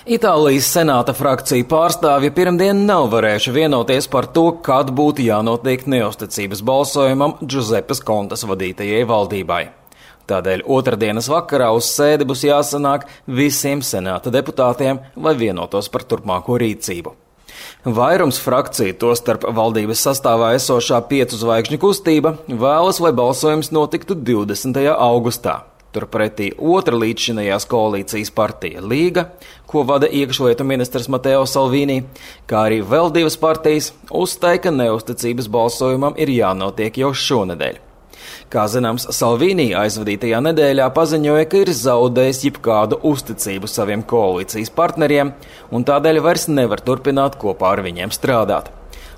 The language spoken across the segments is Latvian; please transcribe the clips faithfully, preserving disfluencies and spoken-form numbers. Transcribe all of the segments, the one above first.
Itālijas senāta frakcija pārstāvji pirmdien nav varējuši vienoties par to, kad būtu jānotiek neusticības balsojumam Džuzepes Kontes vadītajai valdībai. Tādēļ otrdienas vakarā uz sēdi būs jāsanāk visiem senāta deputātiem, lai vienotos par turpmāko rīcību. Vairums frakciju, tostarp valdības sastāvā esošā piecu zvaigžņu kustība, vēlas, lai balsojums notiktu divdesmitajā augustā. Turpretī otra līdzšinējās koalīcijas partija Līga, ko vada iekšlietu ministrs Mateo Salvini, kā arī vēl divas partijas, uzstāja, ka neusticības balsojumam ir jānotiek jau šonedēļ. Kā zināms, Salvini aizvadītajā nedēļā paziņoja, ka ir zaudējis jebkādu uzticību saviem koalīcijas partneriem un tādēļ vairs nevar turpināt kopā ar viņiem strādāt.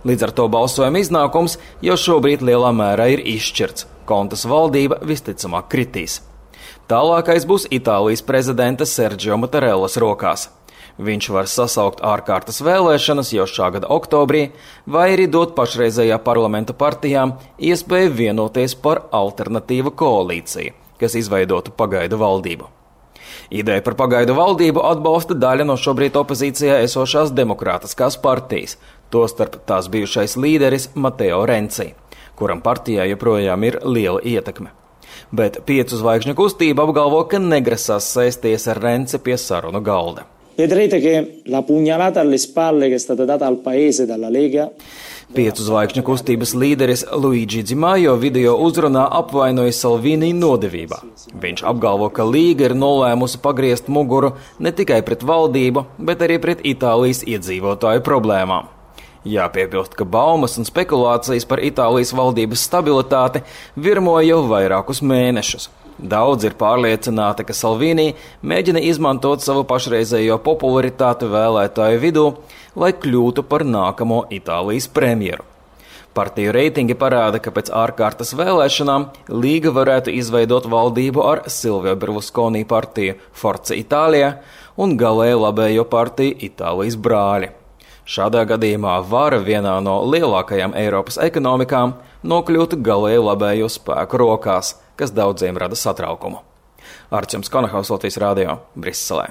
Līdz ar to balsojuma iznākums jau šobrīd lielā mērā ir izšķirts. Kontes valdība visticamāk kritīs. Tālākais būs Itālijas prezidenta Sergio Mattarellas rokās. Viņš var sasaukt ārkārtas vēlēšanas jau šā gada oktobrī, vai arī dot pašreizējā parlamenta partijām iespēju vienoties par alternatīvu koalīciju, kas izveidotu pagaidu valdību. Ideja par pagaidu valdību atbalsta daļa no šobrīd opozīcijā esošās demokrātiskās partijas, tostarp tās bijušais līderis Matteo Renzi, kuram partijā joprojām ir liela ietekme. Bet piecu zvaigžņu kustība apgalvo, ka negrasās sēsties ar Renzi pie sarunu galda. Piecu zvaigžņu kustības līderis Luigi Di Maio video uzrunā apvainoja Salvini nodevībā. Viņš apgalvo, ka Līga ir nolēmusi pagriezt muguru ne tikai pret valdību, bet arī pret Itālijas iedzīvotāju problēmām. Jāpiebilst, ka baumas un spekulācijas par Itālijas valdības stabilitāti virmoja jau vairākus mēnešus. Daudz ir pārliecināti, ka Salvini mēģina izmantot savu pašreizējo popularitāti vēlētāju vidū, lai kļūtu par nākamo Itālijas premjeru. Partiju reitingi parāda, ka pēc ārkārtas vēlēšanām Līga varētu izveidot valdību ar Silvio Berlusconi partiju Forza Italia un galēji labējo partiju Itālijas brāļi. Šādā gadījumā vara vienā no lielākajām Eiropas ekonomikām nokļūtu galēji labējo spēku rokās, kas daudziem rada satraukumu. Arčuns Konahaus, Latvijas radio, Briselē.